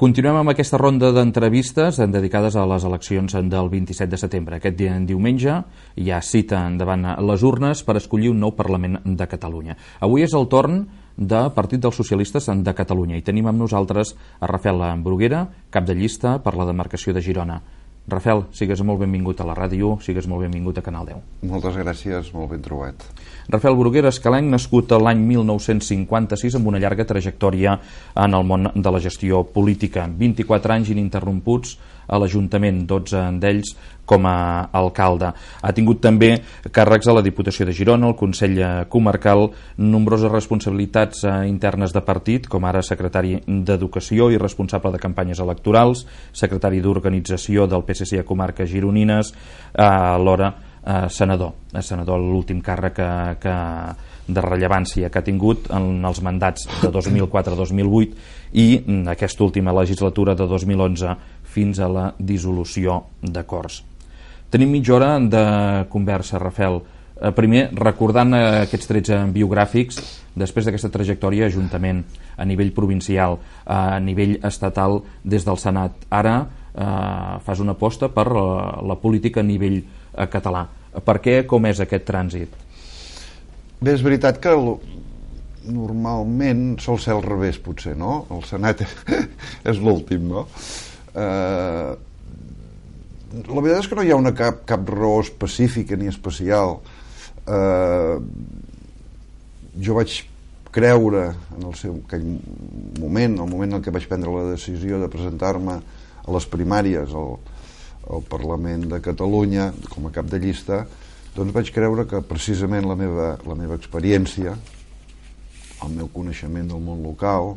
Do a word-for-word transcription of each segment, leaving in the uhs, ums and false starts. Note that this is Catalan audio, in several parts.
Continuem amb aquesta ronda d'entrevistes dedicades a les eleccions del vint-i-set de setembre. Aquest dia, en diumenge, hi ha cita davant les urnes per escollir un nou Parlament de Catalunya. Avui és el torn del Partit dels Socialistes de Catalunya i tenim amb nosaltres a Rafael Bruguera, cap de llista per la demarcació de Girona. Rafael, sigues molt benvingut a la ràdio, sigues molt benvingut a Canal deu. Moltes gràcies, molt ben trobat. Rafael Bruguera, escalenc, nascut l'any mil nou-cents cinquanta-sis amb una llarga trajectòria en el món de la gestió política. vint-i-quatre anys ininterromputs a l'Ajuntament, dotze d'ells com a alcalde. Ha tingut també càrrecs a la Diputació de Girona, al Consell Comarcal, nombroses responsabilitats internes de partit, com ara secretari d'Educació i responsable de campanyes electorals, secretari d'Organització del P S C a comarques gironines, alhora eh, senador, senador l'últim càrrec que, que de rellevància que ha tingut en els mandats de dos mil quatre a dos mil vuit i aquesta última legislatura de dos mil onze fins a la dissolució de Corts. Tenim mitja hora de conversa, Rafael. Primer, recordant aquests trets biogràfics, després d'aquesta trajectòria ajuntament, a nivell provincial, a nivell estatal des del Senat. Ara eh, fas una aposta per la, la política a nivell eh, català. Per què, com és aquest trànsit? Bé, és veritat que normalment sol ser al revés, potser, no? El Senat és l'últim, no? Eh, la veritat és que no hi ha una cap, cap raó específica ni especial. Eh, jo vaig creure en el seu aquell moment, el moment en què vaig prendre la decisió de presentar-me a les primàries al, al Parlament de Catalunya com a cap de llista, doncs vaig creure que precisament la meva, la meva experiència, el meu coneixement del món local,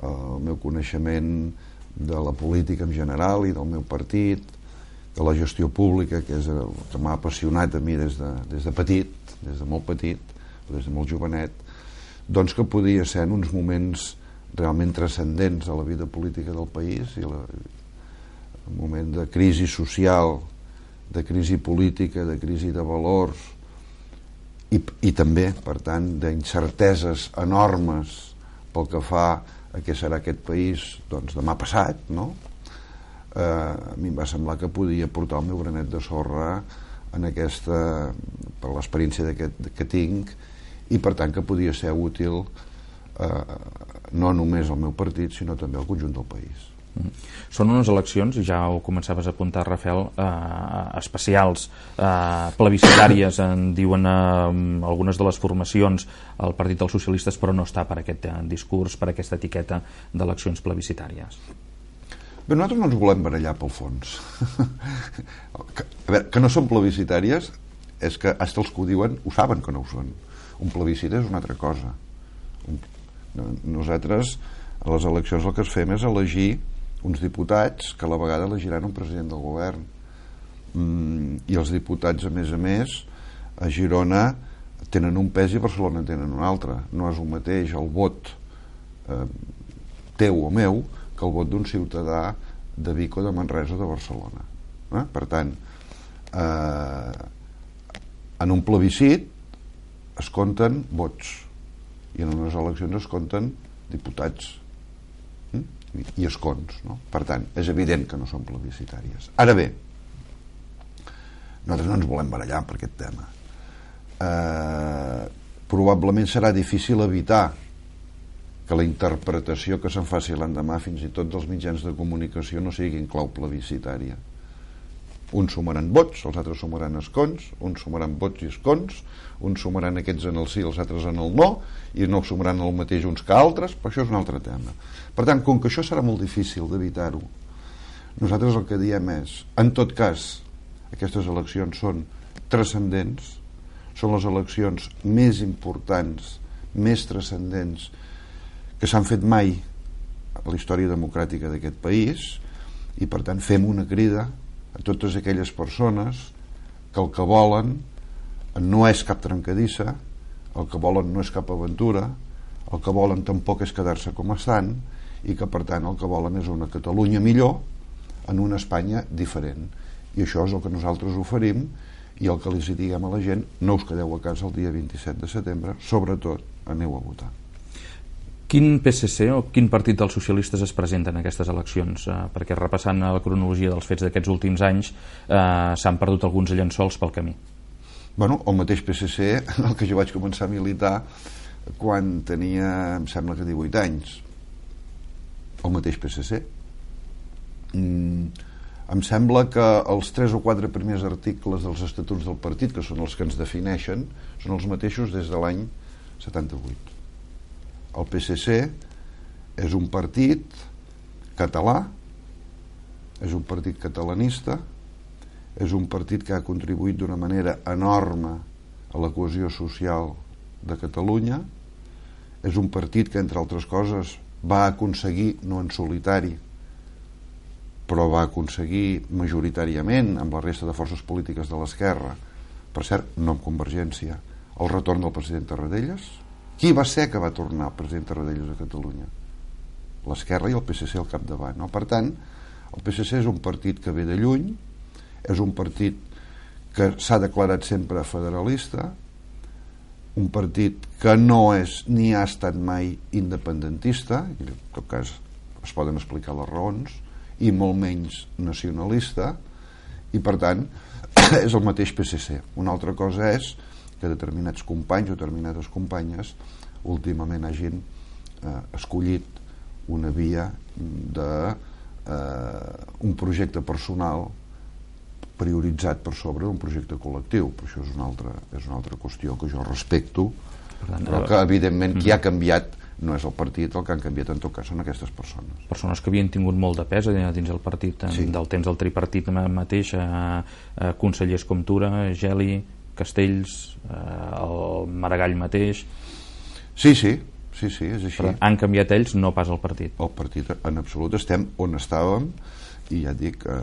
el meu coneixement de la política en general i del meu partit, de la gestió pública, que és el que m'ha apassionat a mi des de, des de petit, des de molt petit, des de molt jovenet, doncs que podia ser en uns moments realment transcendents a la vida política del país i la, un moment de crisi social, de crisi política, de crisi de valors i, i també, per tant, d'incerteses enormes pel que fa a què serà aquest país doncs, demà passat, no? Eh, a mi em va semblar que podia portar el meu granet de sorra en aquesta, per l'experiència que tinc, i per tant que podia ser útil eh, no només al meu partit sinó també al conjunt del país. Són unes eleccions, ja ho començaves a apuntar, Rafael, eh, especials, eh, plebiscitàries, en diuen eh, algunes de les formacions, el Partit dels Socialistes, però no està per aquest eh, discurs, per aquesta etiqueta d'eleccions plebiscitàries. Bé, nosaltres no ens volem barallar pel fons. que, a veure, que no són plebiscitàries és que fins els que ho diuen ho saben que no ho són. Un plebiscit és una altra cosa. Un, nosaltres a les eleccions el que es fem és elegir uns diputats que a la vegada elegiran un president del govern, mm, i els diputats a més a més a Girona tenen un pes i a Barcelona en tenen un altre. No és el mateix el vot eh, teu o meu que el vot d'un ciutadà de Vic o de Manresa o de Barcelona, eh? Per tant eh, en un plebiscit es compten vots i en unes eleccions es compten diputats i escons, no? Per tant, és evident que no són plebiscitàries. Ara bé, nosaltres no ens volem barallar per aquest tema. Eh, probablement serà difícil evitar que la interpretació que se'n faci l'endemà fins i tot dels mitjans de comunicació no sigui en clau plebiscitària. Uns sumaran vots, els altres sumaran escons, uns sumaran vots i escons, uns sumaran aquests en el sí, els altres en el no, i no sumaran el mateix uns que altres, però això és un altre tema. Per tant, com que això serà molt difícil d'evitar-ho, nosaltres el que diem és, en tot cas, aquestes eleccions són transcendents, són les eleccions més importants, més transcendents que s'han fet mai a la història democràtica d'aquest país, i per tant fem una crida a totes aquelles persones que el que volen no és cap trencadissa, el que volen no és cap aventura, el que volen tampoc és quedar-se com estan, i que per tant el que volen és una Catalunya millor en una Espanya diferent. I això és el que nosaltres oferim, i el que els diguem a la gent: no us quedeu a casa el dia vint-i-set de setembre, sobretot aneu a votar. Quin P S C o quin partit dels socialistes es presenta en aquestes eleccions? Eh, perquè repassant la cronologia dels fets d'aquests últims anys eh, s'han perdut alguns llençols pel camí. Bueno, el mateix P S C en el que jo vaig començar a militar quan tenia, em sembla que divuit anys. El mateix P S C. Mm, em sembla que els tres o quatre primers articles dels estatuts del partit, que són els que ens defineixen, són els mateixos des de l'any setanta-vuit. El P S C és un partit català, és un partit catalanista, és un partit que ha contribuït d'una manera enorme a la cohesió social de Catalunya, és un partit que, entre altres coses, va aconseguir, no en solitari, però va aconseguir majoritàriament amb la resta de forces polítiques de l'esquerra, per cert, no amb Convergència, el retorn del president Tarradellas. Qui va ser que va tornar el president Tarradellas a Catalunya? L'esquerra i el P S C al capdavant, no? Per tant, el P S C és un partit que ve de lluny, és un partit que s'ha declarat sempre federalista, un partit que no és ni ha estat mai independentista, i en tot cas es poden explicar les raons, i molt menys nacionalista, i per tant és el mateix P S C. Una altra cosa és que determinats companys o determinades companyes últimament hagin eh, escollit una via de eh, un projecte personal prioritzat per sobre d'un projecte col·lectiu, però això és una altra, és una altra qüestió que jo respecto, però que evidentment qui ha canviat no és el partit, el que han canviat en tot cas són aquestes persones. Persones que havien tingut molt de pes dins el partit, sí. Del temps del tripartit mateix, eh, eh, consellers com Tura, Geli, Castells, eh, el Maragall mateix. Sí, sí, sí, sí, és així. Però han canviat ells, no pas el partit. El partit, en absolut, estem on estàvem, i ja et dic, eh,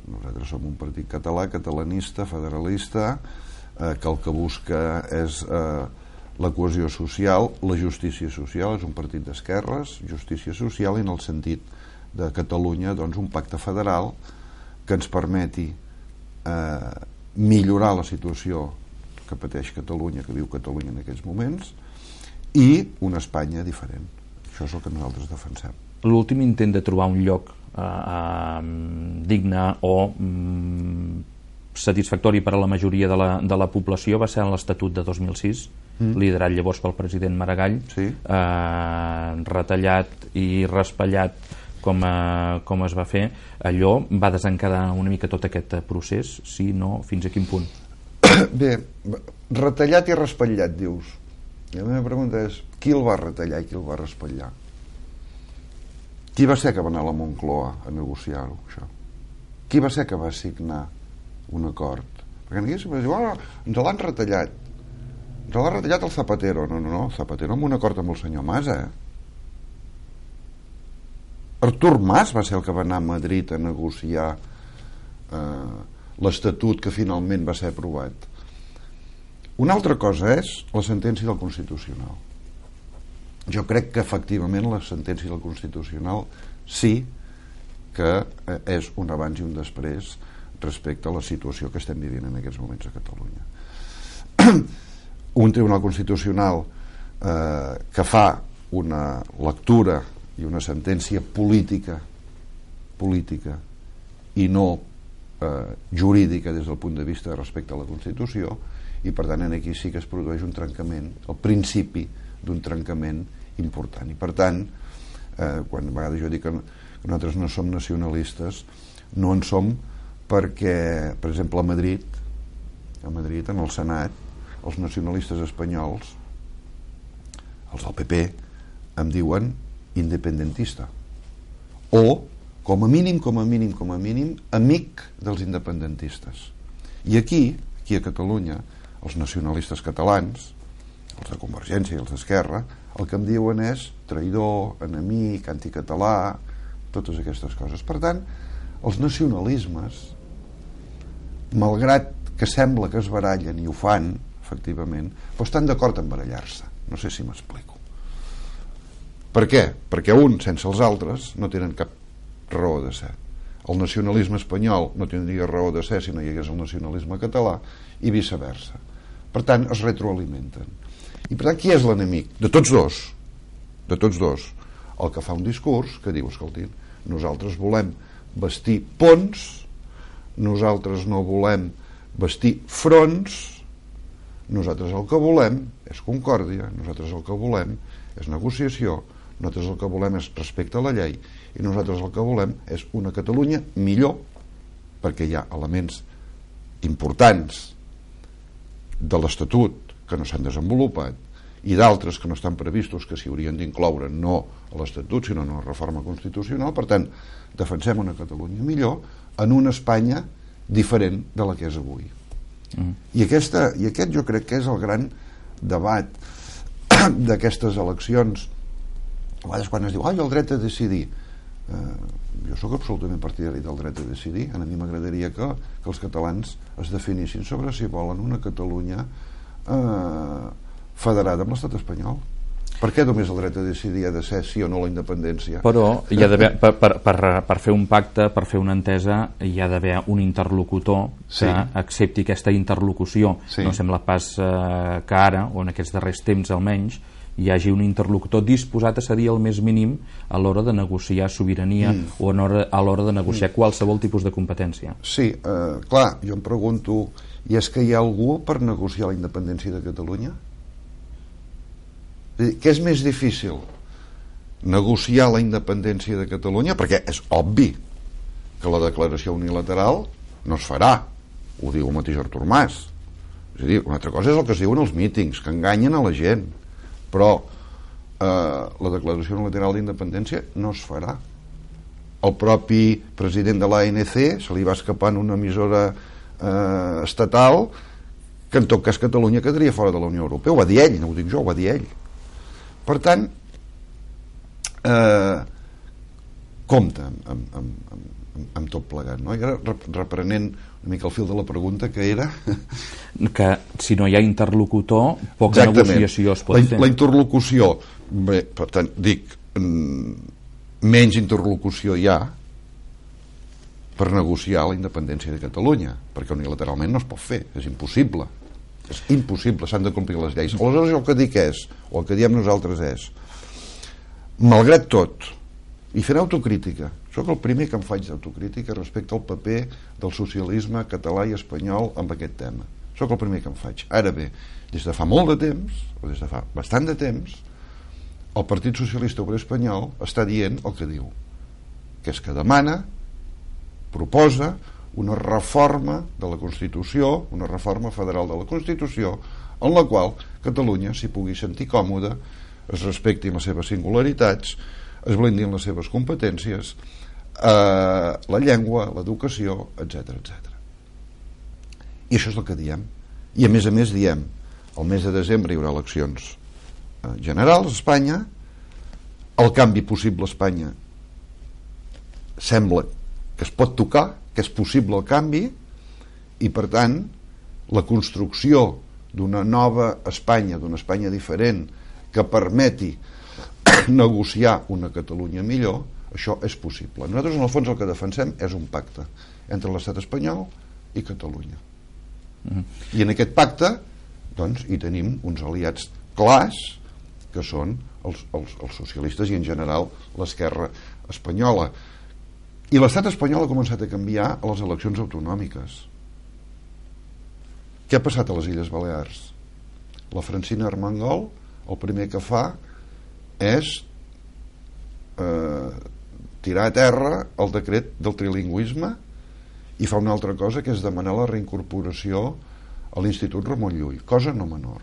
nosaltres som un partit català, catalanista, federalista, eh, que el que busca és eh, la cohesió social, la justícia social, és un partit d'esquerres, justícia social, i en el sentit de Catalunya, doncs, un pacte federal que ens permeti eh, millorar la situació que pateix Catalunya, que viu Catalunya en aquests moments, i una Espanya diferent. Això és el que nosaltres defensem. L'últim intent de trobar un lloc eh, eh, digne o mm, satisfactori per a la majoria de la, de la població va ser en l'Estatut de dos mil sis, mm. liderat llavors pel president Maragall, sí. eh, retallat i raspallat com, eh, com es va fer. Allò va desencadenar una mica tot aquest procés, sí, no, fins a quin punt? Bé, retallat i raspallat, dius. I la meva pregunta és, qui el va retallar i qui el va raspallar? Qui va ser que va anar a la Moncloa a negociar-ho, això? Qui va ser que va signar un acord? Perquè aquí sempre diu, oh, ens l'han retallat. Ens l'ha retallat el Zapatero. No, no, no, el Zapatero amb un acord amb el senyor Mas, eh? Artur Mas va ser el que va anar a Madrid a negociar eh, l'Estatut que finalment va ser aprovat. Una altra cosa és la sentència del Constitucional. Jo crec que efectivament la sentència del Constitucional sí que és un abans i un després respecte a la situació que estem vivint en aquests moments a Catalunya. Un Tribunal Constitucional eh, que fa una lectura i una sentència política política i no eh, jurídica des del punt de vista respecte a la Constitució, i per tant aquí sí que es produeix un trencament, el principi d'un trencament important. I per tant, eh, quan a vegades jo dic que nosaltres no som nacionalistes, no en som perquè, per exemple, a Madrid, a Madrid, en el Senat, els nacionalistes espanyols, els del P P, em diuen independentista. O, com a mínim, com a mínim, com a mínim, amic dels independentistes. I aquí, aquí a Catalunya, els nacionalistes catalans, els de Convergència i els d'Esquerra, el que em diuen és traïdor, enemic, anticatalà, totes aquestes coses. Per tant, els nacionalismes, malgrat que sembla que es barallen, i ho fan, efectivament, però estan d'acord en barallar-se. No sé si m'explico. Per què? Perquè uns sense els altres no tenen cap raó de ser. el nacionalisme espanyol no tindria raó de ser si no hi hagués el nacionalisme català, i viceversa. Per tant, es retroalimenten. I per tant, qui és l'enemic? De tots dos. De tots dos. El que fa un discurs que diu, escolti, nosaltres volem bastir ponts, nosaltres no volem bastir fronts, nosaltres el que volem és concòrdia, nosaltres el que volem és negociació, nosaltres el que volem és respecte a la llei, i nosaltres el que volem és una Catalunya millor, perquè hi ha elements importants de l'Estatut que no s'han desenvolupat i d'altres que no estan previstos, que s'hi haurien d'incloure no a l'Estatut sinó en una reforma constitucional. Per tant, defensem una Catalunya millor en una Espanya diferent de la que és avui. Mm. I, aquesta, i aquest jo crec que és el gran debat d'aquestes eleccions. A vegades quan es diu ai, el dret a decidir, eh, jo sóc absolutament partidari del dret a decidir. A mi m'agradaria que, que els catalans es definissin sobre si volen una Catalunya eh, federada amb l'estat espanyol. Per què només el dret a decidir ha de ser sí o no la independència? Però hi ha d'haver, per, per, per, per fer un pacte, per fer una entesa, hi ha d'haver un interlocutor que sí. accepti aquesta interlocució. Sí. No sembla pas eh, que ara, o en aquests darrers temps almenys, hi hagi un interlocutor disposat a cedir el més mínim a l'hora de negociar sobirania mm. o a l'hora de negociar mm. qualsevol tipus de competència. Sí, eh, clar, jo em pregunto, i és que hi ha algú per negociar la independència de Catalunya? Què és més difícil? Negociar la independència de Catalunya, perquè és obvi que la declaració unilateral no es farà, ho diu el mateix Artur Mas. És a dir, una altra cosa és el que es diuen els mítings, que enganyen a la gent, però eh, la declaració unilateral d'independència no es farà. El propi president de l'A N C se li va escapar en una emissora eh, estatal que en tot cas Catalunya quedaria fora de la Unió Europea. Ho va dir ell, no ho dic jo, ho va dir ell. Per tant, eh, compte amb, amb, amb, amb, amb tot plegat, no? I ara, reprenent una mica el fil de la pregunta, que era... que si no hi ha interlocutor, poca Exactament. negociació es pot la, fer. La interlocució, bé, per tant, dic, menys interlocució hi ha per negociar la independència de Catalunya, perquè unilateralment no es pot fer, és impossible. És impossible, s'han de complir les lleis. Aleshores el que dic és, o el que diem nosaltres és, malgrat tot, i fent autocrítica, sóc el primer que em faig d'autocrítica respecte al paper del socialisme català i espanyol amb aquest tema. Sóc el primer que em faig. Ara bé, des de fa molt de temps, o des de fa bastant de temps, el Partit Socialista Obrer Espanyol està dient el que diu, que és que demana, proposa una reforma de la Constitució, una reforma federal de la Constitució, en la qual Catalunya s'hi pugui sentir còmoda, es respectin les seves singularitats, es blindin les seves competències, eh, la llengua, l'educació, etcètera, etcètera. I això és el que diem. I a més a més diem, el mes de desembre hi haurà eleccions eh, generals a Espanya, el canvi possible a Espanya sembla que es pot tocar, que és possible el canvi, i per tant la construcció d'una nova Espanya, d'una Espanya diferent, que permeti negociar una Catalunya millor, això és possible. Nosaltres en el fons el que defensem és un pacte entre l'estat espanyol i Catalunya. Mm-hmm. I en aquest pacte doncs hi tenim uns aliats clars que són els, els, els socialistes i en general l'esquerra espanyola. I l'estat espanyol ha començat a canviar a les eleccions autonòmiques. Què ha passat a les Illes Balears? La Francina Armengol el primer que fa és eh, tirar a terra el decret del trilingüisme i fa una altra cosa, que és demanar la reincorporació a l'Institut Ramon Llull, cosa no menor.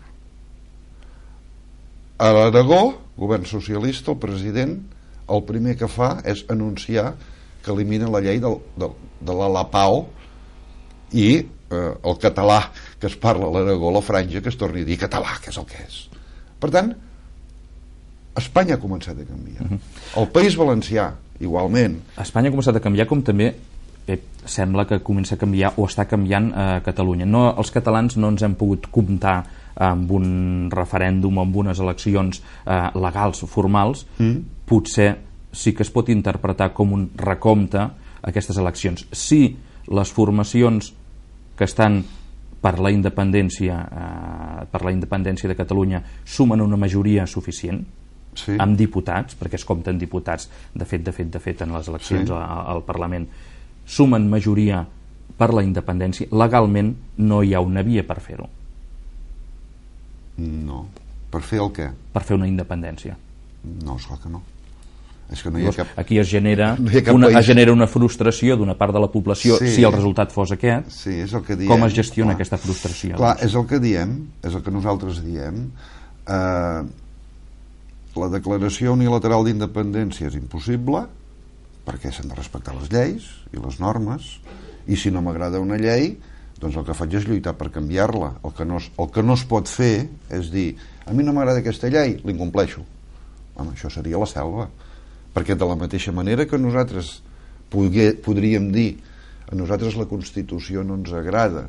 A l'Aragó, govern socialista, el president el primer que fa és anunciar que elimina la llei del, del, de la Lapao i eh, el català que es parla a l'Aragó, la franja, que es torni a dir català, que és el que és. Per tant, Espanya ha començat a canviar. Uh-huh. El País Valencià, igualment. Espanya ha començat a canviar, com també eh, sembla que comença a canviar o està canviant a eh, Catalunya. No, els catalans no ens hem pogut comptar amb un referèndum, amb unes eleccions eh, legals o formals. Mm. Potser sí que es pot interpretar com un recompte aquestes eleccions. Si les formacions que estan per la independència eh, per la independència de Catalunya sumen una majoria suficient, sí, amb diputats, perquè es compten diputats, de fet, de fet, de fet, en les eleccions, sí, al Parlament, sumen majoria per la independència, legalment no hi ha una via per fer-ho. No. Per fer el què? Per fer una independència. No, esclar que no. És que no hi ha cap... Aquí es genera, no hi ha una, es genera una frustració d'una part de la població, sí, si el resultat fos aquest. Sí, és el que diem. Com es gestiona, clar, aquesta frustració? Clar, és el que diem, és el que nosaltres diem. Eh, la declaració unilateral d'independència és impossible, perquè s'han de respectar les lleis i les normes, i si no m'agrada una llei, doncs el que faig és lluitar per canviar-la. El que no es, el que no es pot fer és dir, a mi no m'agrada aquesta llei, l'incompleixo. Home, això seria la selva. Perquè de la mateixa manera que nosaltres pogué, podríem dir a nosaltres la Constitució no ens agrada,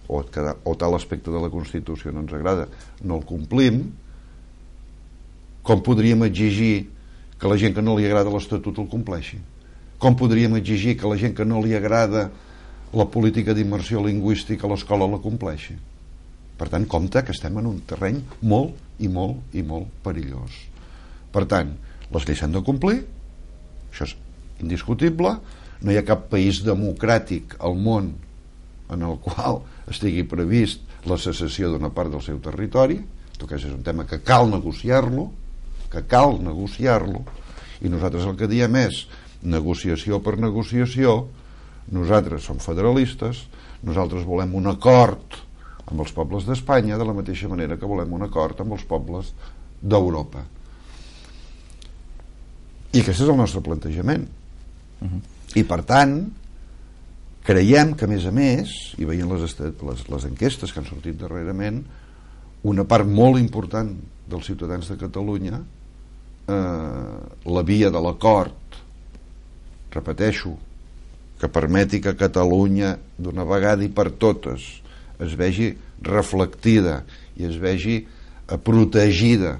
o, o tal aspecte de la Constitució no ens agrada, no el complim, com podríem exigir que la gent que no li agrada l'Estatut el compleixi? Com podríem exigir que la gent que no li agrada la política d'immersió lingüística a l'escola la compleixi? Per tant, compte que estem en un terreny molt i molt i molt perillós. Per tant, les lleis s'han de complir, això és indiscutible, no hi ha cap país democràtic al món en el qual estigui previst la secessió d'una part del seu territori. En tot cas és un tema que cal negociar-lo, que cal negociar-lo, i nosaltres el que diem és negociació per negociació. Nosaltres som federalistes, nosaltres volem un acord amb els pobles d'Espanya de la mateixa manera que volem un acord amb els pobles d'Europa. I aquest és el nostre plantejament. Uh-huh. I per tant creiem que a més a més, i veient les, les, les enquestes que han sortit darrerament, una part molt important dels ciutadans de Catalunya, eh, la via de l'acord, repeteixo, que permeti que Catalunya d'una vegada i per totes es vegi reflectida i es vegi protegida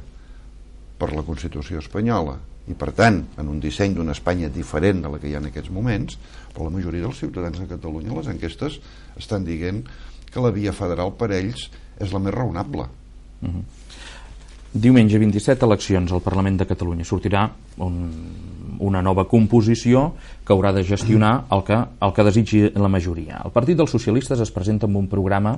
per la Constitució espanyola, i per tant en un disseny d'una Espanya diferent de la que hi ha en aquests moments, però la majoria dels ciutadans de Catalunya, les enquestes estan dient que la via federal per ells és la més raonable. Uh-huh. Diumenge vint-i-set, eleccions al Parlament de Catalunya. Sortirà un, una nova composició que haurà de gestionar el que, el que desitgi la majoria. El Partit dels Socialistes es presenta amb un programa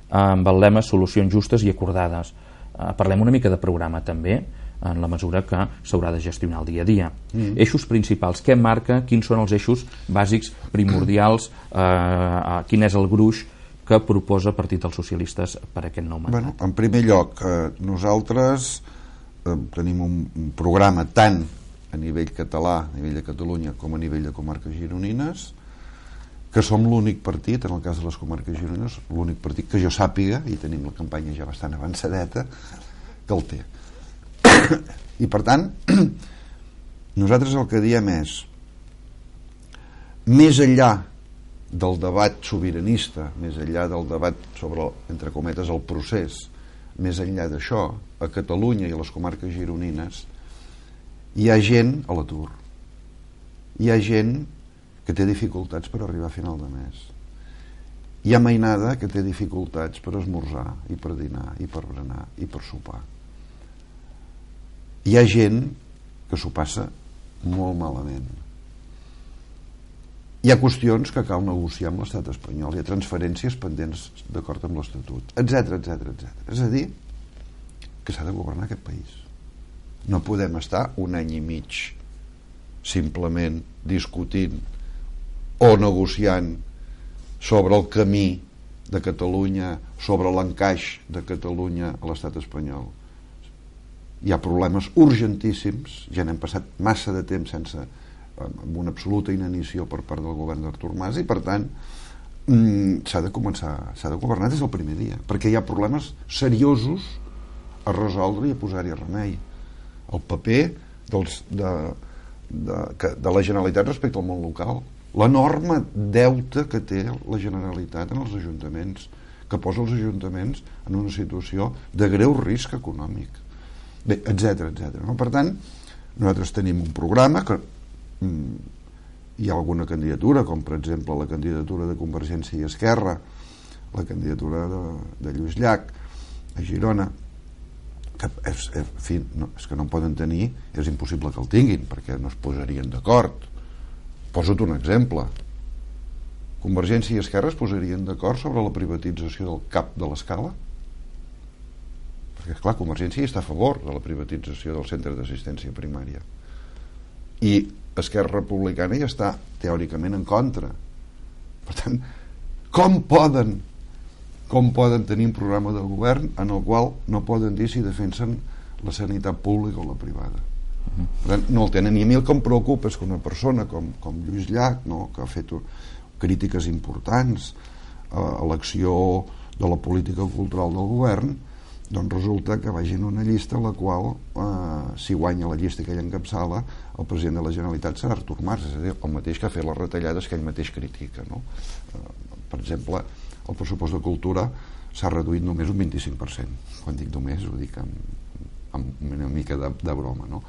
amb el lema Solucions justes i acordades. Uh, parlem una mica de programa també, en la mesura que s'haurà de gestionar el dia a dia. Mm. Eixos principals, què marca, quins són els eixos bàsics, primordials, eh, quin és el gruix que proposa el Partit dels Socialistes per aquest nou mandat? Bueno, en primer lloc, eh, nosaltres eh, tenim un, un programa tant a nivell català, a nivell de Catalunya, com a nivell de comarques gironines, que som l'únic partit, en el cas de les comarques gironines, l'únic partit que jo sàpiga, i tenim la campanya ja bastant avançadeta, que el té. I per tant nosaltres el que diem és, més enllà del debat sobiranista, més enllà del debat sobre, entre cometes, el procés, més enllà d'això, a Catalunya i a les comarques gironines hi ha gent a l'atur, hi ha gent que té dificultats per arribar a final de mes, hi ha mainada que té dificultats per esmorzar i per dinar i per berenar i per sopar. Hi ha gent que s'ho passa molt malament. Hi ha qüestions que cal negociar amb l'estat espanyol, hi ha transferències pendents d'acord amb l'Estatut, etcètera, etcètera, etcètera. És a dir, que s'ha de governar aquest país. No podem estar un any i mig simplement discutint o negociant sobre el camí de Catalunya, sobre l'encaix de Catalunya a l'estat espanyol. Hi ha problemes urgentíssims, ja n'hem passat massa de temps sense, amb una absoluta inanició per part del govern d'Artur Mas, i per tant mm, s'ha de començar, s'ha de governar des del primer dia, perquè hi ha problemes seriosos a resoldre i a posar-hi remei. El paper dels, de, de, de la Generalitat respecte al món local, l'enorme deute que té la Generalitat en els ajuntaments, que posa els ajuntaments en una situació de greu risc econòmic, etcètera, etcètera. No? Per tant, nosaltres tenim un programa que mm, hi ha alguna candidatura, com per exemple la candidatura de Convergència i Esquerra, la candidatura de, de Lluís Llach a Girona, que és, en fi, no, és que no en poden tenir, és impossible que el tinguin perquè no es posarien d'acord. Posa't un exemple. Convergència i Esquerra es posarien d'acord sobre la privatització del C A P de l'Escala? Perquè, esclar, Convergència està a favor de la privatització del centre d'assistència primària i Esquerra Republicana hi està teòricament en contra. Per tant, com poden com poden tenir un programa de govern en el qual no poden dir si defensen la sanitat pública o la privada? Per tant, no el tenen. I a mi el que em preocupa és que una persona com, com Lluís Llach, no, que ha fet crítiques importants a l'acció de la política cultural del govern, doncs resulta que vagi en una llista en la qual, eh, si guanya la llista que ell encapçala, el president de la Generalitat serà Artur Mas, és a dir, el mateix que ha fet les retallades que ell mateix critica, no? Eh, per exemple, el pressupost de cultura s'ha reduït només un vint-i-cinc per cent. Quan dic només ho dic amb, amb una mica de, de broma, no?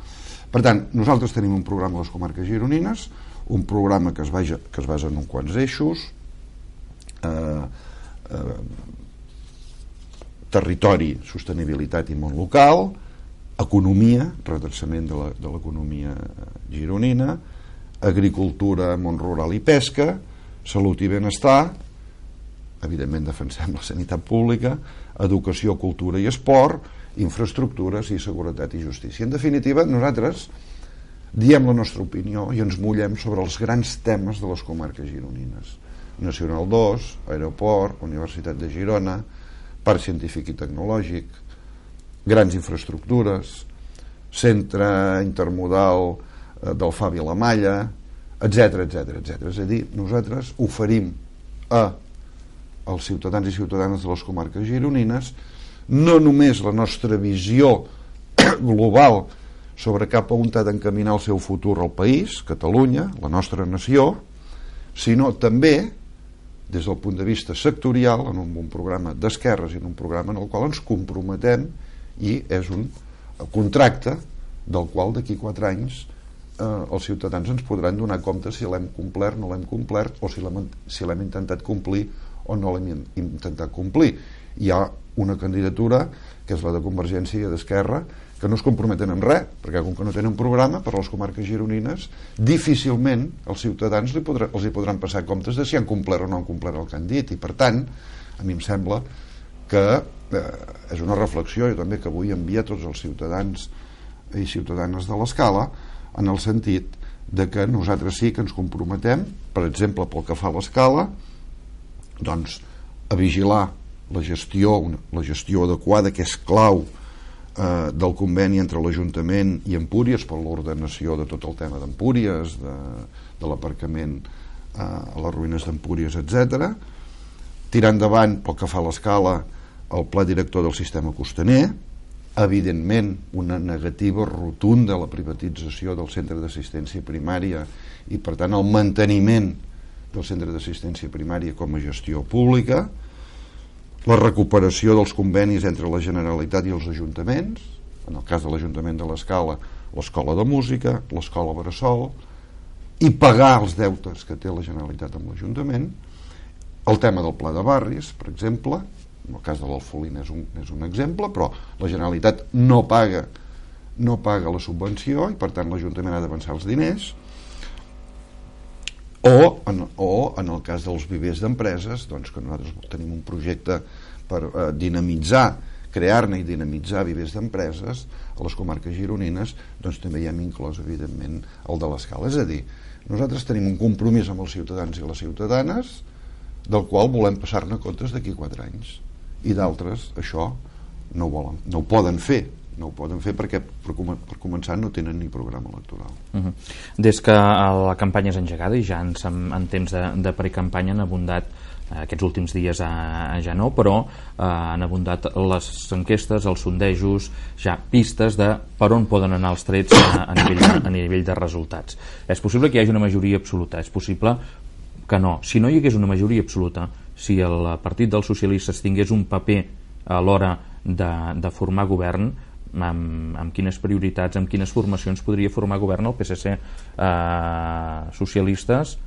Per tant, nosaltres tenim un programa a les comarques gironines, un programa que es, vaja, que es basa en uns quants eixos, eh, eh, territori, sostenibilitat i món local, economia, redreçament de l'economia gironina, agricultura, món rural i pesca, salut i benestar, evidentment defensem la sanitat pública, educació, cultura i esport, infraestructures i seguretat i justícia. En definitiva, nosaltres diem la nostra opinió i ens mullem sobre els grans temes de les comarques gironines. Nacional dos, aeroport, Universitat de Girona, Parc Científic i Tecnològic, grans infraestructures, centre intermodal del Fà Vilamalla, etcètera, etcètera, etcètera. És a dir, nosaltres oferim a els ciutadans i ciutadanes de les comarques gironines no només la nostra visió global sobre cap a on ha d'encaminar el seu futur al país, Catalunya, la nostra nació, sinó també des del punt de vista sectorial, en un, un programa d'esquerres i en un programa en el qual ens comprometem i és un contracte del qual d'aquí quatre anys eh, els ciutadans ens podran donar compte si l'hem complert, no l'hem complert, o si l'hem si l'hem intentat complir o no l'hem intentat complir. Hi ha una candidatura, que és la de Convergència i d'Esquerra, que no es comprometen en res, perquè com que no tenen programa per a les comarques gironines, difícilment els ciutadans li podrà, els hi podran passar comptes de si han complert o no han complert el que han dit, i per tant a mi em sembla que eh, és una reflexió jo també que vull enviar a tots els ciutadans i ciutadanes de l'Escala, en el sentit de que nosaltres sí que ens comprometem, per exemple pel que fa a l'Escala, doncs a vigilar la gestió, la gestió adequada, que és clau eh, del conveni entre l'Ajuntament i Empúries per l'ordenació de tot el tema d'Empúries, de, de l'aparcament eh, a les ruïnes d'Empúries, etcètera. Tirar endavant, pel que fa a l'Escala, el pla director del sistema costaner, evidentment una negativa rotunda a la privatització del centre d'assistència primària i per tant el manteniment del centre d'assistència primària com a gestió pública, la recuperació dels convenis entre la Generalitat i els ajuntaments, en el cas de l'Ajuntament de l'Escala, l'Escola de Música, l'Escola Bressol, i pagar els deutes que té la Generalitat amb l'Ajuntament, el tema del pla de barris, per exemple, en el cas de l'Alfolina és un, és un exemple, però la Generalitat no paga, no paga la subvenció i per tant l'Ajuntament ha d'avançar els diners, o en, o en el cas dels vivers d'empreses, doncs que nosaltres tenim un projecte per eh, dinamitzar, crear-ne i dinamitzar vivers d'empreses a les comarques gironines, doncs també hi hem inclòs evidentment el de l'Escala. És a dir, nosaltres tenim un compromís amb els ciutadans i les ciutadanes del qual volem passar-ne comptes d'aquí quatre anys, i d'altres això no ho volen, no ho poden fer no ho poden fer perquè per, per començar no tenen ni programa electoral. Uh-huh. Des que la campanya és engegada i ja en, en temps de, de precampanya han abundat eh, aquests últims dies a, a ja no, però eh, han abundat les enquestes, els sondejos, ja pistes de per on poden anar els trets a, a, nivell, de, a nivell de resultats. És possible que hi hagi una majoria absoluta, és possible que no. Si no hi hagués una majoria absoluta, si el Partit dels Socialistes tingués un paper a l'hora de, de formar govern, amb, amb quines prioritats, amb quines formacions podria formar govern el P S C. Eh, socialistes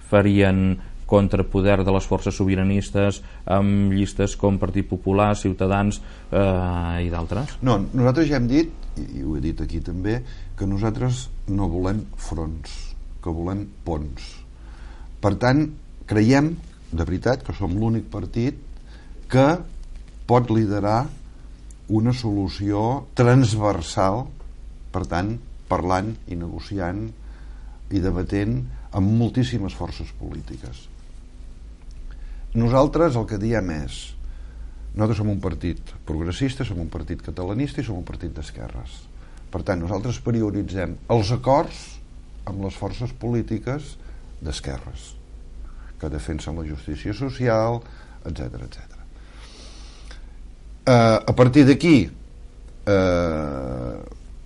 farien contrapoder de les forces sobiranistes amb llistes com Partit Popular, Ciutadans eh, i d'altres? No, nosaltres ja hem dit, i ho he dit aquí també, que nosaltres no volem fronts, que volem ponts. Per tant, creiem de veritat que som l'únic partit que pot liderar una solució transversal, per tant, parlant i negociant i debatent amb moltíssimes forces polítiques. Nosaltres el que diem és, nosaltres som un partit progressista, som un partit catalanista i som un partit d'esquerres. Per tant, nosaltres prioritzem els acords amb les forces polítiques d'esquerres, que defensen la justícia social, etcètera, etcètera. Uh, a partir d'aquí uh,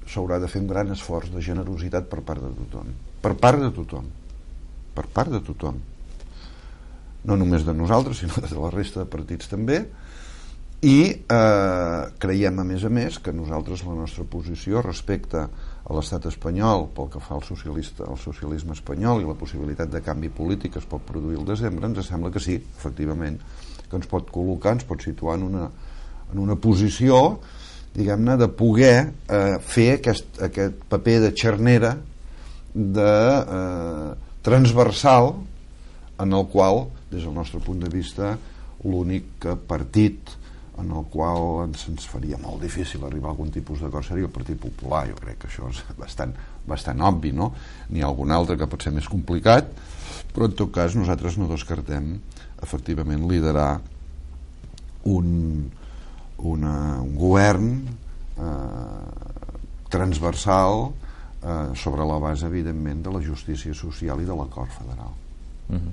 s'haurà de fer un gran esforç de generositat per part de tothom, per part de tothom per part de tothom, no només de nosaltres sinó de la resta de partits també, i uh, creiem a més a més que nosaltres la nostra posició respecte a l'estat espanyol pel que fa al, socialista, al socialisme espanyol i la possibilitat de canvi polític que es pot produir al desembre, ens sembla que sí, efectivament, que ens pot col·locar, ens pot situar en una en una posició, diguem-ne, de poder eh, fer aquest, aquest paper de xarnera de eh, transversal en el qual, des del nostre punt de vista, l'únic partit en el qual ens, ens faria molt difícil arribar a algun tipus d'acord seria el Partit Popular. Jo crec que això és bastant, bastant obvi, no? N'hi ha algun altre que pot ser més complicat, però en tot cas nosaltres no descartem efectivament liderar un Una, un govern eh, transversal eh, sobre la base evidentment de la justícia social i de l'acord federal. Uh-huh.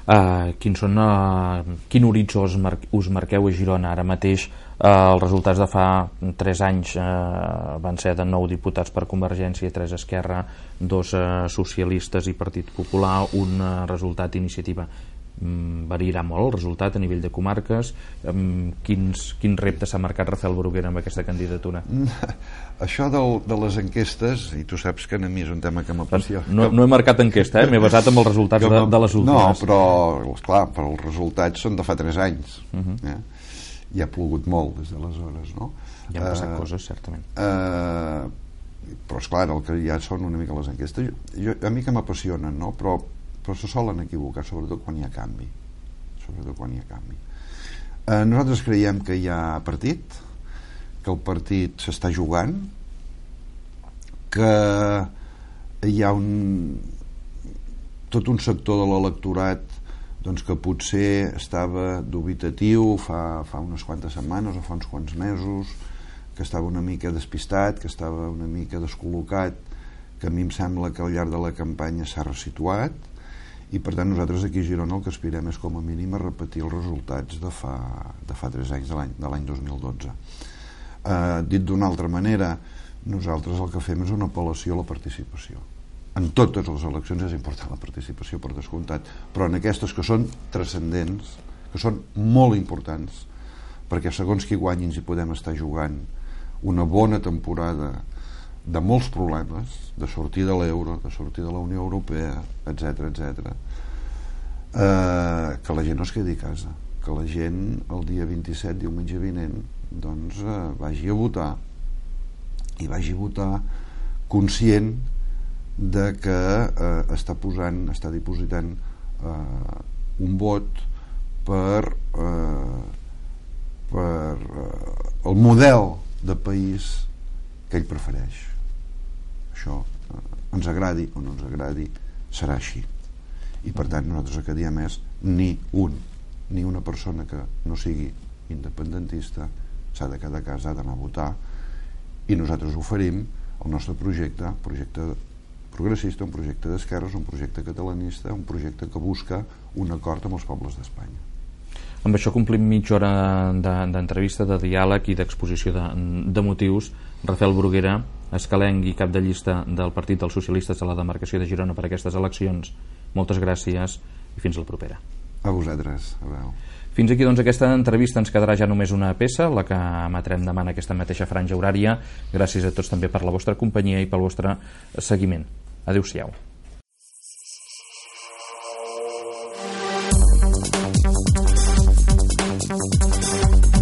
uh, quins són, uh, quin horitzó us, mar us marqueu a Girona ara mateix? Uh, els resultats de fa tres anys uh, van ser de nou diputats per Convergència, tres Esquerra, dos uh, socialistes i Partit Popular, un uh, resultat Iniciativa. Variarà molt el resultat a nivell de comarques. Quins, quins reptes s'ha marcat Rafael Bruguera amb aquesta candidatura? Això del, de les enquestes, i tu saps que a mi és un tema que m'apassiona. No, no he marcat enquesta, eh? M'he basat en els resultats de, de les últimes. No, però clar, però els resultats són de fa tres anys. Uh-huh. eh? I ha plogut molt des d'aleshores, no? Hi han passat uh, coses, certament. Uh, però esclar, el que ja són una mica les enquestes, jo, jo, a mi que m'apassionen, no? Però però se solen equivocar, sobretot quan hi ha canvi, sobretot quan hi ha canvi. Eh, nosaltres creiem que hi ha partit, que el partit s'està jugant, que hi ha un tot un sector de l'electorat doncs, que potser estava dubitatiu fa, fa unes quantes setmanes o fa uns quants mesos, que estava una mica despistat, que estava una mica descol·locat, que a mi em sembla que al llarg de la campanya s'ha resituat, i per tant nosaltres aquí a Girona el que aspirem és com a mínim a repetir els resultats de fa, de fa tres anys, de l'any dos mil dotze. Eh, dit d'una altra manera, nosaltres el que fem és una apel·lació a la participació. En totes les eleccions és important la participació, per descomptat, però en aquestes que són transcendents, que són molt importants, perquè segons qui guanyin hi podem estar jugant una bona temporada de molts problemes, de sortir de l'euro, de sortir de la Unió Europea, etcètera, etcètera, eh, que la gent no es quedi a casa, que la gent el dia vint-i-set, diumenge vinent, doncs eh, vagi a votar, i vagi a votar conscient de que eh, està posant, està dipositant eh, un vot per eh, per eh, el model de país que ell prefereix. Això eh, ens agradi o no ens agradi, serà així, i per tant nosaltres el que diem és ni un, ni una persona que no sigui independentista s'ha de quedar a casa, ha d'anar a votar, i nosaltres oferim el nostre projecte, projecte progressista, un projecte d'esquerres, un projecte catalanista, un projecte que busca un acord amb els pobles d'Espanya. Amb això complim mitja hora d'entrevista, de diàleg i d'exposició de, de motius. Rafael Bruguera, escalenc i cap de llista del Partit dels Socialistes a la demarcació de Girona per aquestes eleccions, moltes gràcies i fins la propera. A vosaltres, adeu. Fins aquí doncs aquesta entrevista, ens quedarà ja només una peça, la que emetrem demà en aquesta mateixa franja horària. Gràcies a tots també per la vostra companyia i pel vostre seguiment. Adéu-siau. Thank you.